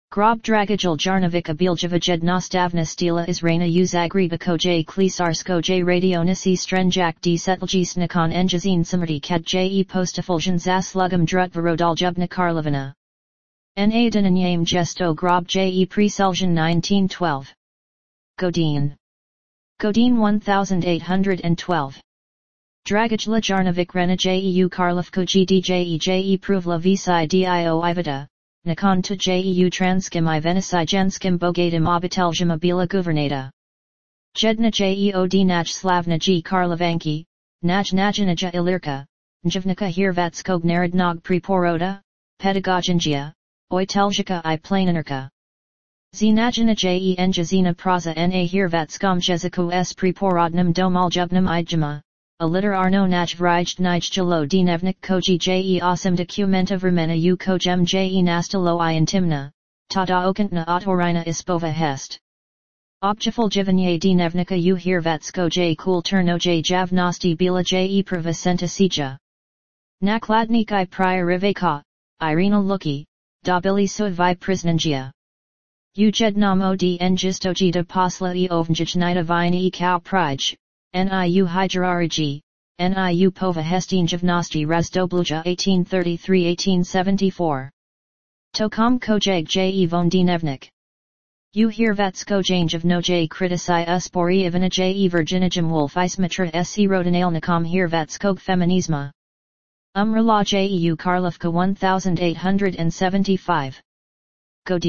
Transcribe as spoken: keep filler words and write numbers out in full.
Grob Dragajal Jarnovic Abiljava Jednostavna Stila Izrana Uzagreba Koj Klisarsko J Radionisi Strenjak D Setlji Nikon Engazine Samarti Kad J Postafuljan Zaslugam Drutvarodaljubna Karlovina. N A Dinanyam Gesto Grob J Preseljan nineteen twelve. Godin. Godin eighteen twelve. Dragajla Jarnovic Rena Jeu Karlovko Gdje Je Pruvla Visi Dio Ivada, Nikon to Jeu Transkim I Venisi Jenskim Bogatim Obiteljima Bila Guvernata. Jedna Jeo Naj Slavna G Karlovanki, Naj Najinaja Ilirka, Njivnika Hirvatskog Narodnog Preporoda, Pedagogingia, Oiteljika I Planinarka. Znajina Je Njazina Praza Na Hirvatskom Jeziku S Preporodnim Domaljubnim Idjima. A liter Arno Naj Vrij Nijjalo Dnevnik Koji Je Osim Documenta Vremena U Kojem Je Nastalo I Intimna, Tada Okantna Otorina Ispova Hest. Objeful Jivanye Dnevnika U Hirvatsko J Kulturno J Javnosti Bila Je Pravacenta Sija. Nakladnik I Prioriveka, Irina Luki, Dobili Suvai Priznangia. Ujednamo D Njistoji de Posla I Ovnjijnita Vina I Kao Prij. Niu Hijrariji, Niu Pova Hestinjavnosti Razdobluja eighteen thirty-three to eighteen seventy-four. Tokom Kojeg Je Von Dnevnik. U Hirvatsko Janjev no J Kritisai Uspori Ivana Je Virginijum Wolf Ismatra Se Rodinalnikom Hirvatskog Feminisma. Umrala Jeu Karlovka eighteen seventy-five. Godin.